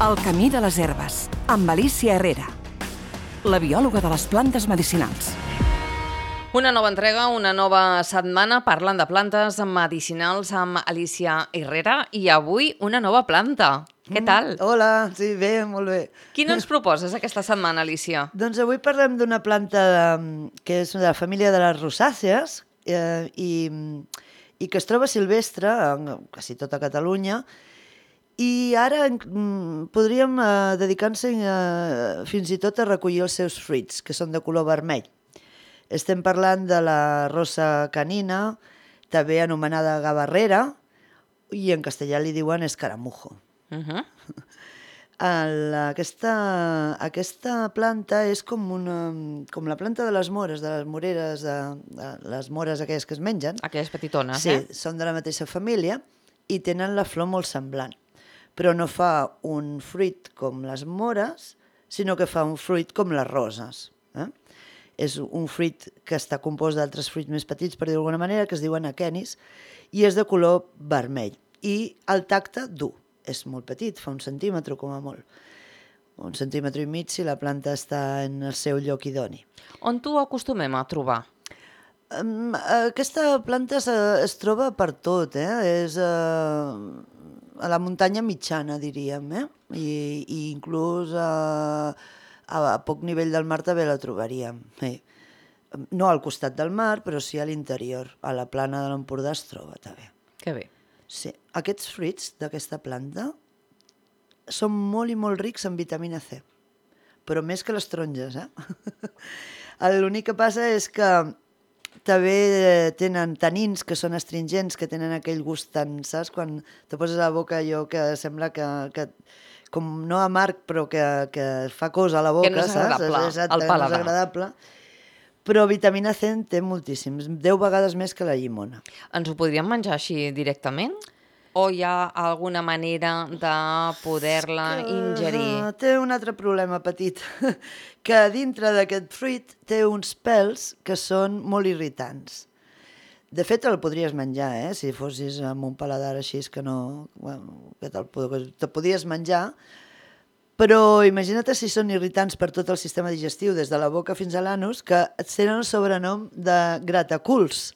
El camí de les herbes, amb Alicia Herrera, la biòloga de les plantes medicinals. Una nova entrega, una nova setmana parlant de plantes medicinals amb Alicia Herrera i avui una nova planta. Què tal? Hola, sí, bé, molt bé. Quina ens proposes aquesta setmana, Alicia? Doncs avui parlem d'una planta que és de la família de les rosàcees i que es troba silvestre en quasi tota Catalunya. I ara podríem dedicar-nos fins i tot a recollir els seus fruits, que són de color vermell. Estem parlant de la rosa canina, també anomenada gavarrera, i en castellà li diuen escaramujo. Aquesta planta és com la planta de les mores, de les moreres, de les mores aquelles que es mengen. Aquelles petitones, Sí, són de la mateixa família i tenen la flor molt semblant. Però no fa un fruit com les mores, sinó que fa un fruit com les roses. És un fruit que està compost d'altres fruits més petits, per dir-ho d'alguna manera, que es diuen aquenis, i és de color vermell. I el tacte dur. És molt petit, fa 1 centímetre com a molt. 1,5 centímetres si la planta està en el seu lloc idoni. On t'ho acostumem a trobar? Aquesta planta es troba per tot, és a la muntanya mitjana, diríem, i inclús a poc nivell del mar també la trobaríem. No al costat del mar, però sí a l'interior, a la plana de l'Empordà es troba també. Que bé. Sí, aquests fruits d'aquesta planta són molt i molt rics en vitamina C, però més que les taronges, L'únic que passa és que també tenen tanins que són astringents, que tenen aquell gust tan, saps? Quan te poses a la boca allò que sembla que com no amarg, però que fa cosa a la boca, que no és agradable, saps? al paladar. No és agradable. Però vitamina C en té moltíssims, 10 vegades més que la llimona. Ens ho podríem menjar així directament? O hi ha alguna manera de poder-la ingerir? Té un altre problema petit, que dintre d'aquest fruit té uns pèls que són molt irritants. De fet, el podries menjar, si fossis amb un paladar així que no... Bueno, que te podies menjar, però imagina't si són irritants per tot el sistema digestiu, des de la boca fins a l'anus, que et tenen el sobrenom de grataculs.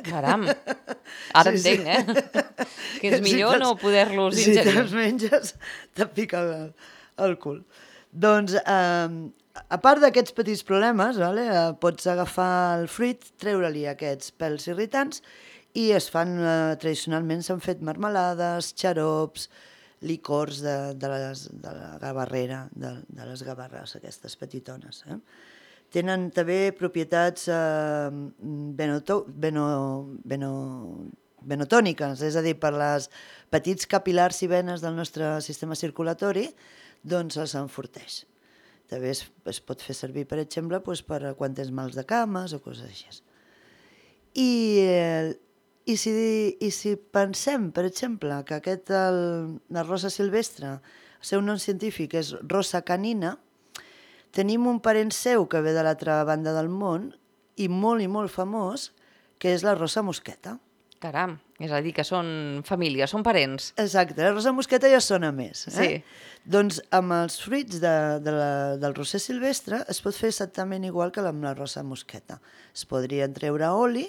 Caram, ara entenc, que és millor no poder-los ingerir. Si te'ls menges, te'n pica el cul. Doncs, a part d'aquests petits problemes, pots agafar el fruit, treure-li aquests pèls irritants i es fan, tradicionalment s'han fet marmelades, xarops, licors de la gavarrera, de les gavarres, aquestes petitones. Tenen també propietats venotòniques, és a dir, per les petits capil·lars i venes del nostre sistema circulatori, doncs els enforteix. També es pot fer servir, per exemple, per quan tens mals de cames o coses així. I si pensem, per exemple, que la rosa silvestre, el seu nom científic és rosa canina, tenim un parent seu que ve de l'altra banda del món i molt famós, que és la rosa mosqueta. Caram, és a dir, que són famílies, són parents. Exacte, la rosa mosqueta ja sona més. Sí. Doncs amb els fruits del roser silvestre es pot fer exactament igual que amb la rosa mosqueta. Es podrien treure oli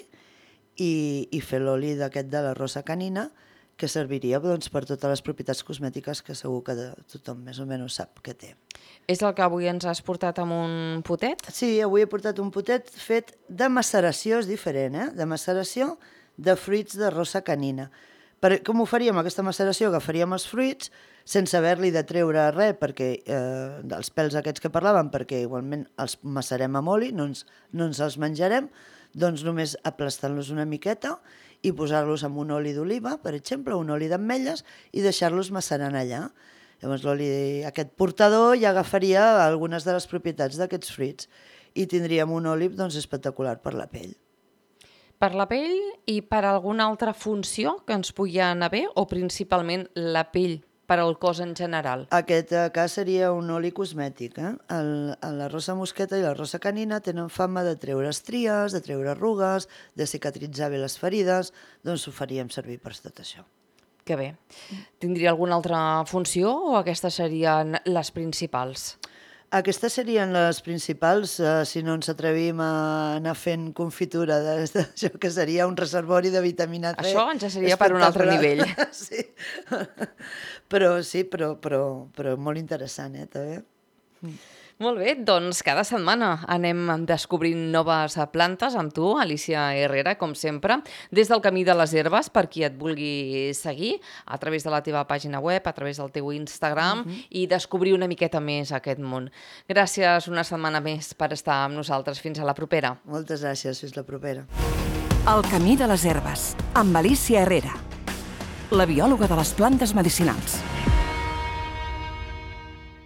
i fer l'oli d'aquest de la rosa canina, que serviria per totes les propietats cosmètiques que segur que tothom més o menys sap que té. És el que avui ens has portat amb un potet? Sí, avui he portat un potet fet de maceració, és diferent, de maceració de fruits de rosa canina. Com ho faríem, aquesta maceració? Agafaríem els fruits sense haver-li de treure res, dels pèls aquests que parlàvem, perquè igualment els macerem amb oli, no ens els menjarem, doncs només aplastant-los una miqueta i posar-los amb un oli d'oliva, per exemple, un oli d'ametlles, i deixar-los macerant allà. Llavors aquest portador ja agafaria algunes de les propietats d'aquests fruits i tindríem un oli espectacular per la pell. Per la pell i per alguna altra funció que ens pugui anar bé, o principalment la pell per al cos en general? Aquest cas seria un oli cosmètic. La rosa mosqueta i la rosa canina tenen fama de treure estries, de treure arrugues, de cicatritzar bé les ferides, doncs ho faríem servir per tot això. Que bé. Tindria alguna altra funció o aquestes serien les principals? Aquestes serien les principals, si no ens atrevim a anar fent confitura d'això, que seria un reservori de vitamina C. Això ja seria per un altre nivell. Sí, però molt interessant, també. Molt bé, doncs cada setmana anem descobrint noves plantes amb tu, Alicia Herrera, com sempre, des del Camí de les Herbes, per qui et vulgui seguir, a través de la teva pàgina web, a través del teu Instagram, i descobrir una miqueta més aquest món. Gràcies una setmana més per estar amb nosaltres. Fins a la propera. Moltes gràcies, fins la propera. El Camí de les Herbes, amb Alicia Herrera, la biòloga de les plantes medicinals.